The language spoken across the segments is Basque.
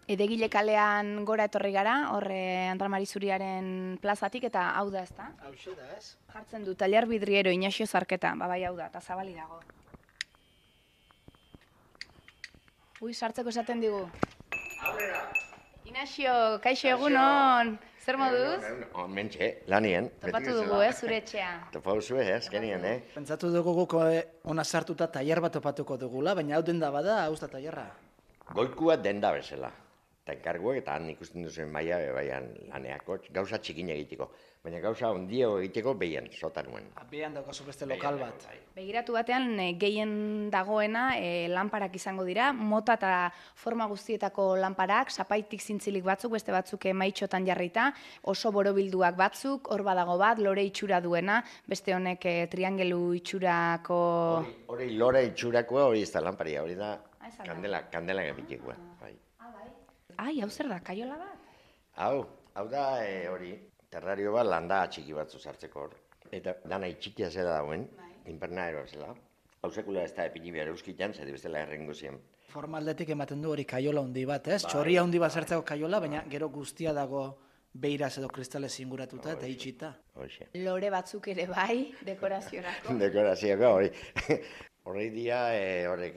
Edegile kalean gora etorri gara, horre Andramari Zuriaren plazatik, eta hau da, ezta? Hauxe da, ez? Jartzen du, Taller Vidriero, Inaxio Zarketa, bai hau da, eta zabali dago. Ui, sartzeko esaten digu. Aurrera! Inaxio, kaixo egunon, zer moduz? Mentxe, lanien. Topatu dugu, zure etxea. Topatu zuen, azkenien, Pentsatu dugu guk ona sartuta tailer bat topatuko dugula, baina hau denda bada, hau da tailerra. Goikua denda bezala. Eta enkarguak eta han ikusten duzuen maia, baian laneako, gauza txikin egiteko. Baina gauza ondio egiteko behian, sotanuen. Behan daukazu beste lokal bat. Begiratu batean, gehien dagoena lanparak izango dira, mota eta forma guztietako lanparak, zapaitik zintzilik batzuk, beste batzuk maitxotan jarrita, oso borobilduak batzuk, hor badago bat, lore itxura duena, beste honek triangelu itxurako... Hori lore itxurakoa hori ez da lanparia, hori da kandela gabitikoa. Ai, hau zer da, kaiola bat? Hau da hori, terrario bat landa txiki batzu sartzeko hor. Eta dana itxikia zela dauen, invernaero zela. Hau sekula ez da epini behar euskitan, zedi bestela errengo ziren. Formaldetik ematen du hori kaiola handi bat, ez? Txorria handi bat sartzeko kaiola, baina gero guztia dago beiraz edo kristalez inguratuta eta itxita. Lore batzuk ere bai, dekoraziorako. Dekorazioko hori. Horrei dia horrek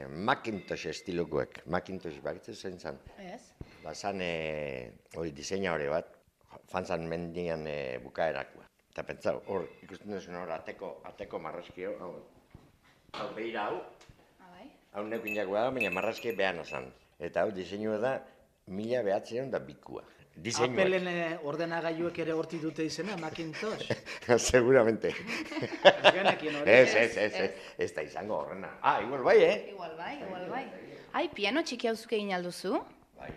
Macintosh estilokoek. Macintosh bakitzen zen zan. Ez? Bazan hori diseina hori bat, fanzan mendian bukaerakoa. Eta pentsa hor ikusten duzun hor ateko marrazkio, hau behira hau, hau neukin jakoa da, baina marrazki behan azan. Eta hau diseinua da 1902. Appelen ordenagailuek ere hortik dute izena, Macintosh? Seguramente. Ez da izango horrena. Igual bai, Igual bai. Ai, piano txiki hauzuk egin alduzu? Bai.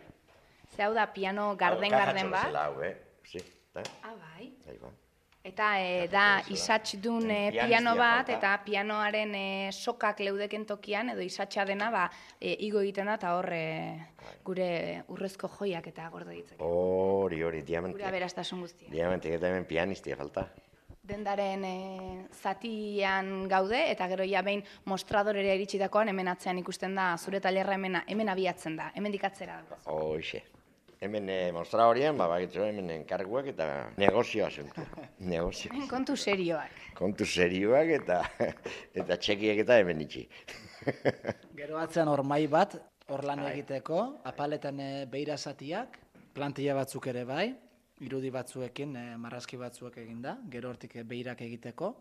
Ze hau da piano garden bat? Bai. Bai. Eta da isatxdun piano bat, eta pianoaren sokak leudeken tokian, edo isatxa dena, igo egiten da, eta hor gure urrezko joiak eta gordo ditzak. Hori, diamantik. Gure aberastasun guztia. Diamantik eta hemen pianistia falta. Dendaren zatian gaude, eta gero ja behin mostradorera iritsitakoan, hemen atzean ikusten da, zure tailerra hemen abiatzen da, hemen dikatzera da. Hoxe. Hemen mostra horien, bakitzu hemen enkarguak eta negozioa zentu. Hemen kontu serioak. Kontu serioak eta txekiak eta hemen itxi. Gero atzean hor mai bat, hor lan egiteko, apaletan beira zatiak, plantilla batzuk ere bai, irudi batzuekin, marrazki batzuek eginda, gero hortik beirak egiteko.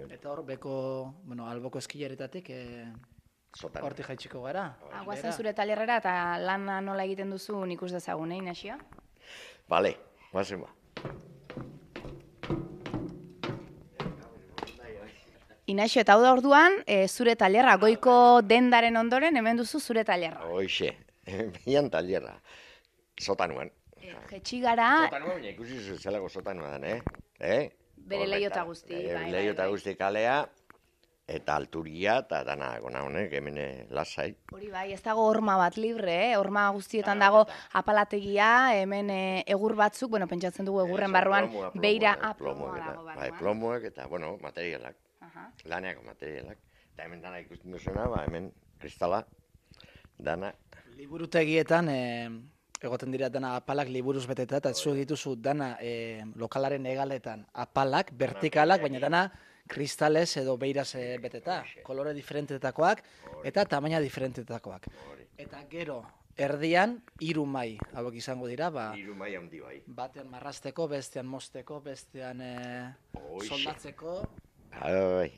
Eta hor beko, alboko eskilaretatik hortik jaitsiko gara. Guazen zure tailerrera eta lana nola egiten duzu ikus dezagun, Inaxio? Bale, guazen ba. Inaxio, eta hau da orduan, zure tailerra, goiko dendaren ondoren, hemen duzu zure tailerra. Hoxe, bian tailerra, sotanuan. Jetxi gara... Sotanuan, baina ikusi zelako sotanuan, Bere leiota guzti. Leiota guzti kalea, eta alturia, eta dana gona honek, hemen lasai. Hori bai, ez dago horma bat libre, horma guztietan dago apalategia, hemen egur batzuk, pentsatzen dugu egurren barruan, beira... Plomoak eta, plomoak eta, materialak, laneako materialak. Eta hemen dana ikusten duzuna, hemen kristala, dana. Liburutegietan, egoten dira dana apalak liburuz beteta, eta zu dituzu dana lokalaren egaletan apalak, vertikalak, baina dana kristalez edo beiraz beteta, kolore diferentetakoak eta tamaina diferentetakoak. Eta gero, erdian, 3 mai hauek izango dira, 3 mai handi bai. Batean marrazteko, bestean mozteko, bestean soldatzeko.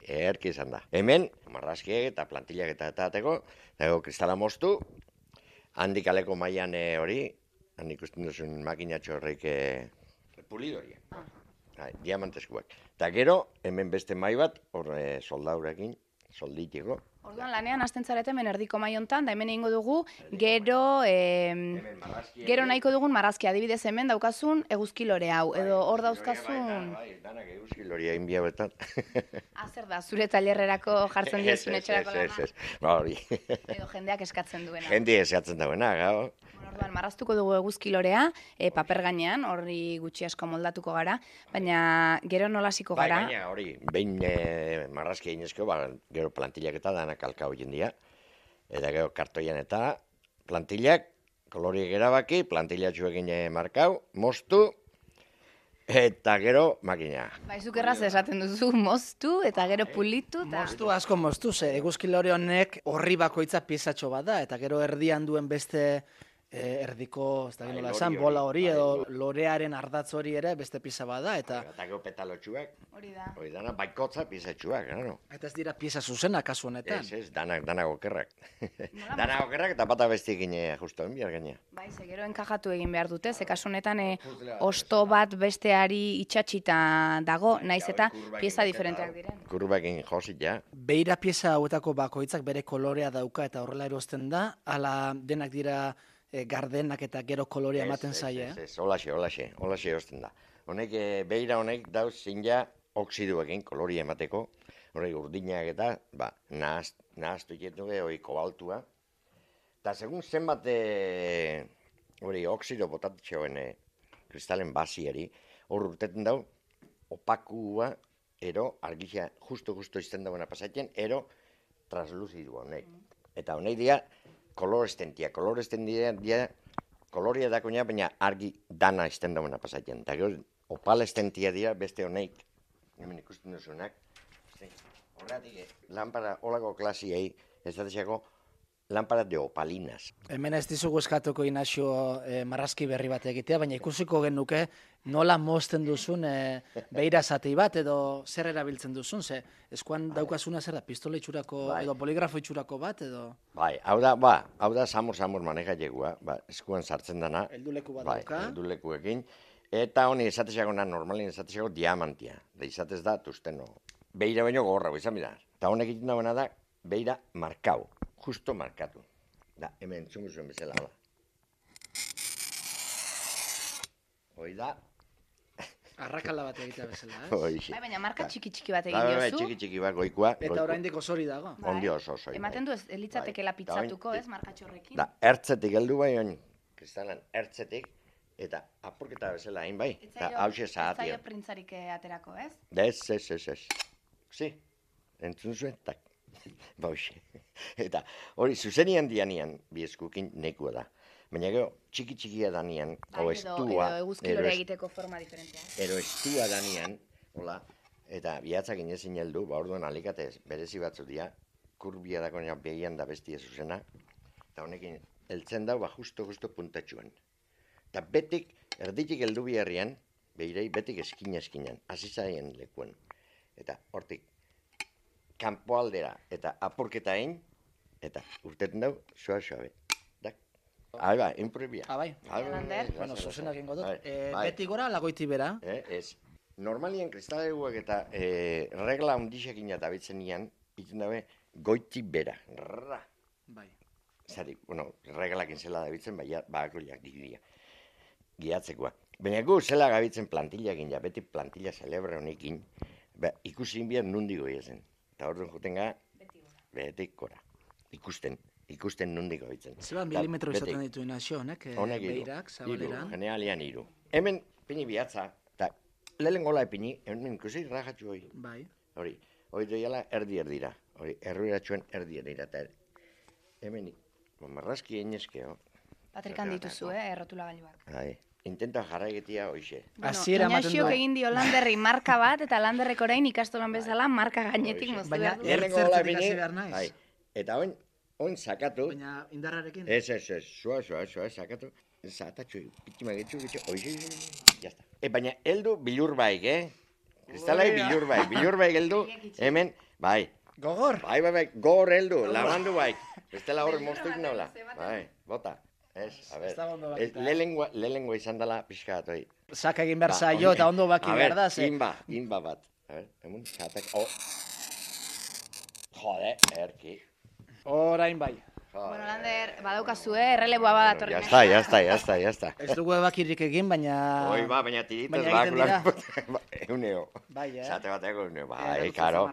Erki izan da. Hemen, marrazkiek eta plantillak eta ateko, dago kristala moztu, handik aleko mailan hori, handik ikusten duzun makinatxo horreik pulidoria. Diamanteskuak. Eta gero, hemen beste mai bat, hor soldaurekin, solditiko. Orduan, lanean hasten zarete hemen erdiko mai hontan, da hemen egingo dugu, gero nahiko dugun marrazkia. Adibidez hemen daukazun eguzki lore hau, edo hor dauzkazun... Danak eguzki lorea inbia betan. Zer da, zure tailerrerako jartzen diezun etxerako lana? Hori. Edo jendeak eskatzen duena. Jendeak eskatzen duena, gau. Orduan, marraztuko dugu eguzki lorea, paper gainean, horri gutxi asko moldatuko gara, baina gero nolasiko gara. Baina hori, behin marrazki egin gero plantillak eta danak alka hoien dira, eta gero kartoian eta plantillak, koloriek erabaki, plantillatxuekin markau, moztu, eta gero makina. Baizuk erraz esaten duzu, moztu eta gero pulitu. Moztu asko moztu, ze eguzki lore honek horri bakoitza piezatxo bat da, eta gero erdian duen beste erdiko, ez da nola esan, bola hori edo lorearen ardatz hori ere beste pieza bat da, eta Eta petalotxuak, Hori da. hori dana baikotza piezatxuak, claro. eta ez dira pieza zuzena kasu honetan. Ez, danak okerrak. Danak okerrak eta bata bestekin justo enbiar gaina. Bai, ze gero enkajatu egin behar dute, ze kasu honetan osto bat besteari itxatxita dago, naiz eta pieza diferenteak diren. Kurbakin josit, ja. Beira pieza hauetako bakoitzak bere kolorea dauka eta horrela erosten da, ala denak dira gardenak eta gero kolorea ematen zaie. Ez, holaxe erosten da. Honek, beira honek dauz zinja oksiduekin koloria emateko, horrek urdinak eta, nahaztu iketu hori kobaltua. Eta segun zenbat hori oksido botatxeoen kristalen basiari, hor urteten dau, opakua, ero, argixia, justo izten dagoena pasatzen, ero, transluzidu honek. Eta honek dira, kolorestentia koloria dakoina, baina argi dana izten dagoena pasatzen. Eta gero, opalestentia dira beste honek, hemen ikusten duzunak. Horretik, lampara, holako klasiei, ez datexako, lampara de opalinas. Hemen ez dizugu eskatuko Inaxio marrazki berri bat egitea, baina ikusiko genuke nola mozten duzun beira zati bat edo zer erabiltzen duzun, ze eskuan daukazuna zer da, pistola itxurako edo poligrafo itxurako bat edo... Bai, hau da samur maneja jegua, eskuan sartzen dana. Helduleku bat dauka. Heldulekuekin. Eta honi esatexako normalin esatexako diamantia. Da izatez da, tusteno. Beira baino gorra, izan bida. Eta honek egiten dagoena da, beira markau. Justo markatu. Da, hemen entzungu zuen bezala, hola. Hoi da. Arrakala bat egitea bezala, ez? Hoixe. Bai, baina marka txiki bat egin diozu. Txiki bat, goikoa. Eta oraindik osori dago. Bai. Ondi oso. Ematen du ez litzatekela pitzatuko, ez, markatxorrekin. Da, ertzetik heldu bai, oin, kristalan, ertzetik, eta apurketa bezala hain bai, eta hause Ez zahatia. zaio printzarik aterako, ez? Ez. Si, entzun zuen, tak, bauxe. Eta hori, zuzenian dianian, bieskukin nekua da. Baina gero, txikia danian, o estua, edo eguzkilore egiteko forma diferentea. ero estua danian, hola, eta bihatzak inezin heldu, orduan alikatez, berezi batzu dira, kurbia dakoena behian da bestia zuzena, eta honekin, heltzen dau, justo puntatxuan. Eta betik, erditik heldu biharrian, behirei betik eskinan, hasi zaien lekuen. Eta hortik, kanpoaldera eta apurketa egin, eta urteten dau, suave. Bai, improbia. Bai. Bueno, zuzenak ingo dut. Beti gora, lagoiti bera. Ez. Normalien kristaleguak eta regla ondixekin eta bitzen nian, iten dabe, goiti bera. Rrra. Bai. Zari, bueno, reglakin zela da bitzen, bakakoiak diria. Giatzekoa. Baina gu zela gabitzen plantillakin, ja, beti plantilla celebre honekin, ikusi inbian nundigo ezen. Eta orduan juten gara, betik gora. Ikusten nundiko bitzen. Zeba milimetro izaten ditu Inaxio honek, beirak, zabaleran. Generalian 3. Hemen pini bihatza, eta lehen gola epini, hemen ikusi rajatxu hori. Bai. Hori doiala erdi-erdira. Hori, erruiratxuen erdi-erdira. Eta hemen, marrazki einezkeo. Patrikan dituzu, errotulagailuak. Intenta jarra egitea hoxe. Inaxiok egin dio Landerri marka bat, eta Landerrek orain ikastolan bezala marka gainetik moztu behar du. Ertzertzetik hasi behar naiz. Eta oin sakatu. Baina indarrarekin? Ez, sua, sakatu. Zatatxu, pitima getxu, hoxe, jazta. Baina heldu bilur baik, Kristalai bilur baik heldu, hemen, bai. Gogor? Bai, gogor heldu, labandu baik. Bestela horre moztuik nola. Bai, bota. Ez, a ber, lehengua izan dela pixka bat, Saka egin behar zaio eta ondo baki behar da, ze. Inba bat. A ber, emun, zatak, Jode, erki. Orain bai. Bueno, Lander, badaukazu, erreleboa badatorri. Jazta. Ez dugu ebakirik egin, baina... Hoi baina tiritaz egiten dira. Euneo. Bai, Zate bateko euneo, bai, karo.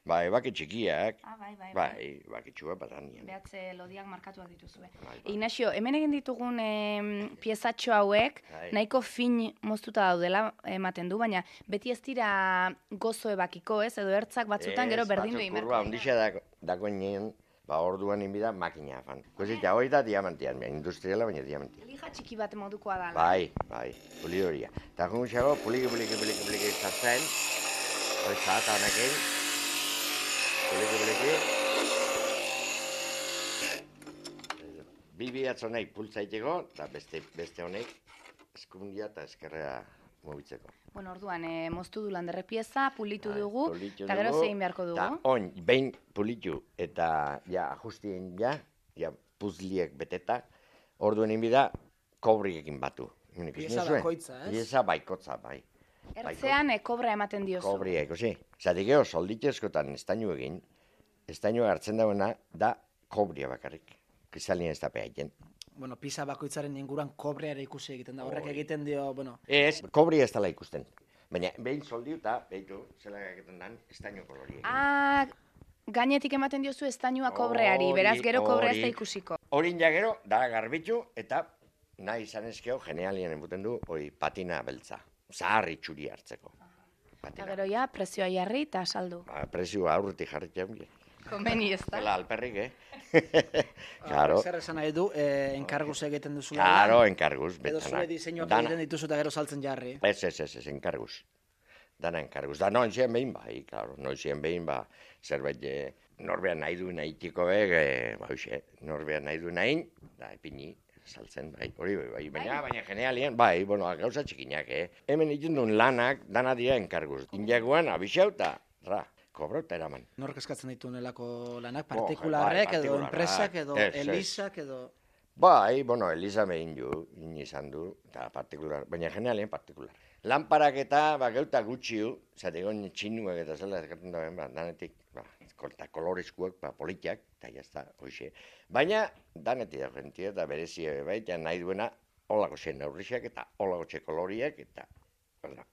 Bai, baki txikiak. Bai, baki txua batanian. Behatze lodiak markatuak dituzue. Ignaxio, hemen egin ditugun piezatxo hauek, nahiko fin moztuta daudela ematen du, baina beti ez dira gozo ebakiko, ez? Edo ertzak batzutan gero berdindu egin. Kurba, ondixea dagoen ba orduan inbida makina fan. Kusita, hori da diamantian, industriala baina diamantian. Lija txiki bat modukoa da. Bai, pulidoria. Eta junxago, puliki sartzen, hori zahata honekin, puliki. Bi honek pultzaiteko, eta beste honek eskundia eta eskerrea mobitzeko. Bueno, orduan, moztu du landerre pieza, pulitu dugu, eta gero zein beharko dugu. Eta on, behin pulitu eta ja ajustien ja puzliek beteta, orduen inbida kobriekin batu. Pieza bakoitza, ez? Pieza baikotza, bai. Ertzean kobra ematen diozu. Kobria, ikusi. Zatik eo, solditezkotan estainu egin, estainua hartzen dauena da kobria bakarrik. Kristalien ez da pehaiten. Bueno, pisa bakoitzaren inguruan kobreara ikusi egiten da. Horrek egiten dio, bueno... Ez, kobria ez dela ikusten. Baina, behin soldiu eta, behitu, zela egiten den, estaino koloriek. Gainetik ematen diozu estainua kobreari, beraz gero kobrea ez da ikusiko. Horin ja gero, da garbitu, eta nahi izan ezkeo, genealien enbuten du, hori patina beltza. Zaharri txuri hartzeko. Eta gero ja, prezioa jarri eta saldu. Prezioa aurretik jarritzen. Komeni ez da. Zela alperrik, Claro. Zer esan nahi du, enkarguz egiten duzu. Claro, enkarguz. Edo zure diseinuak egiten dituzu eta gero saltzen jarri. Ez, enkarguz. Dana enkarguz. Da noizean behin bai, claro. Noizean behin ba, zerbait norbean nahi du nahitiko norbean nahi du nahin, da epini, saltzen, bai, hori bai, baina genealien, bai, bueno, gauza txikinak, Hemen egiten duen lanak, dana dira enkarguz. Injaguan, abixau eta, kobro eta eraman. Nork eskatzen ditu nelako lanak? Partikularrek edo enpresak edo elizak edo... Bai, bueno, eliza behin izan du, eta partikular, baina generalien partikular. Lanparak eta geuta gutxiu, zategon txinuak eta zela eskatzen dauen, danetik, kolorezkuak, politiak, eta jazta, hoxe. Baina, danetik da jentia eta berezia baita nahi duena, holako zen aurrixak eta holako txe koloriak eta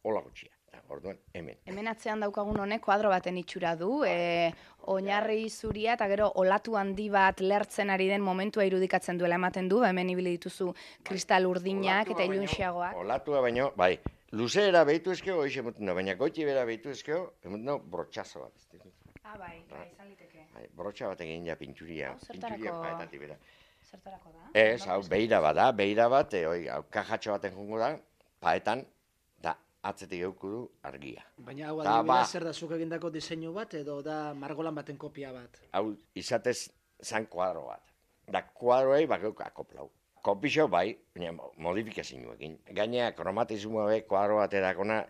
holako txia. Orduan, hemen. Hemen atzean daukagun honek kuadro baten itxura du, oinarri zuria eta gero olatu handi bat lertzen ari den momentua irudikatzen duela ematen du, hemen ibili dituzu kristal urdinak eta ilunxiagoak. Olatua baino, bai, luzeera behitu ezkeo, baina goiti bera behitu ezkeo, brotxazo bat. Bai, izan liteke. Brotxa bat egin ja pintxuria. Zertarako da? Ez, hau, beira bat, kajatxo baten jungo da, paetan, atzetik euku du argia. Baina hau adibidez zer da zuk egindako diseinu bat edo da margolan baten kopia bat? Hau izatez zan kuadro bat. Da kuadroei bakeuk akoplau. Kopixo bai, baina modifikazioekin. Gainea kromatismoa be kuadro bat edakona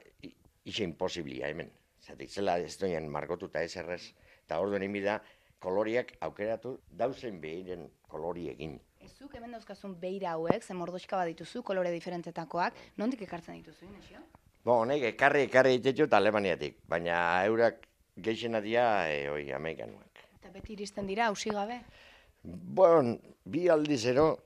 ixe imposiblia hemen. Zatik zela ez doian margotuta ez errez. Eta orduen inbida koloriak aukeratu dauzen behiren koloriekin. Zuk hemen dauzkazun beira hauek, ze mordoxka bat dituzu, kolore diferentetakoak, nondik ekartzen dituzu, Inesio? Honek ekarri ditetxo eta Alemaniatik, baina eurak geixena dira Amerikanuak. Eta beti iristen dira, hausi gabe? Bon, bi aldizero,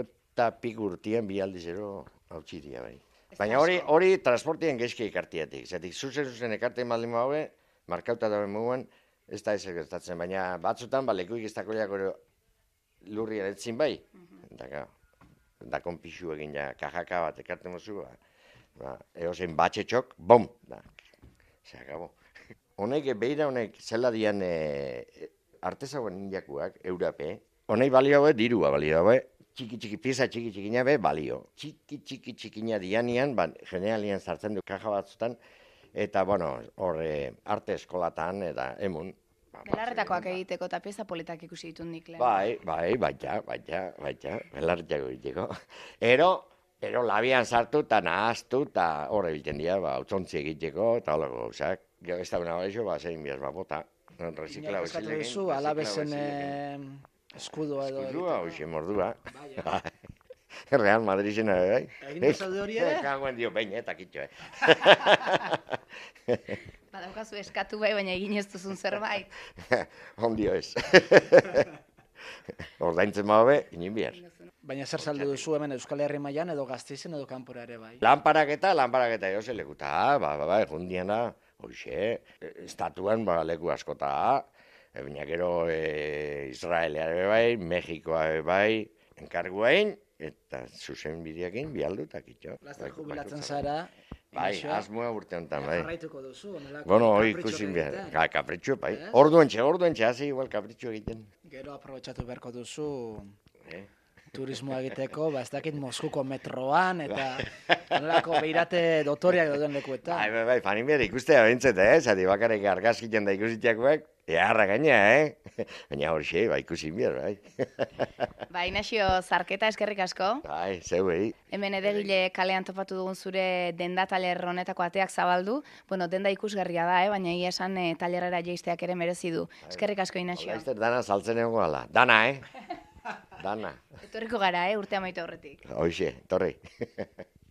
eta pik urtien bi aldizero hautsi dira bai. Baina hori transportien geizki ekartiatik. Zatik, zuzen ekartien baldin haue, markauta dauen muguan, ez da ez gertatzen. Baina batzutan, lekuik ez dakoiak lurri eretzin bai. Da konpixu egin ja, kajaka bat ekarten mozu, eozein batxetxok, bom, se acabó. Honek, beira honek, zela dian artezagoen indiakuak, eurape, honek balio dirua balio, pieza txiki-txikina balio. Txiki-txikina dianian, generalian sartzen du kaja batzutan, eta, bueno, arte eskolatan, eta emun. Belarretakoak egiteko eta pieza politak ikusi ditut nik lehen. Baita, belarretako egiteko. Ero labian sartu eta nahaztu eta horre biltzen dira, utzontzi egiteko eta holako gauzak. Gero ez da bena horrexo, zein bihaz bota. Resikla eskatu duzu, alabezen eskudua edo. Eskudua, hoxe mordua. Real Madrid bai. Egin duzalde hori ere? Kagoen dio pein, eta kitxo, Badaukazu eskatu bai, baina egin ez duzun zerbait. Ondio ez. Ordaintzen mabe, inin bihar. Baina zer saldu duzu hemen Euskal Herri mailan edo Gasteizen edo kanpora ere bai? Lanparaketa egoze lekuta, egundian da, hoxe, estatuan leku askota, baina gero Israelea bai, Mexikoa bai, enkarguain, eta zuzen bideakin bialdu eta kitxo. Laster jubilatzen zara? Bai, Inaxioa. asmoa urte honetan, bai. Jarraituko duzu, honelako Bueno, hori kapritxoak ikusin behar. egiten. Kapritxo, bai. Ez? Orduentxe, hasi igual kapritxo egiten. Gero aprobetxatu beharko duzu Eh? turismoa egiteko, ez dakit Moskuko metroan, eta honelako beirate dotoriak dauden lekuetan. Bai, fanin behar ikustea bintzet, zati bakarrik argazkitzen da ikusitiakoak, eharra gaina, Baina hori xe, bai ikusin behar, bai. Ba, Inaxio, zarketa eskerrik asko. Bai, zeuei. Hemen edegile kalean topatu dugun zure denda taler honetako ateak zabaldu. Bueno, denda ikusgarria da, baina egia esan talerrera jeisteak ere merezi du. Eskerrik asko, Inaxio. Laizter dana saltzen egongo gala. Dana, Dana. Etorriko gara, urte amaitu aurretik. Hoxe, torri.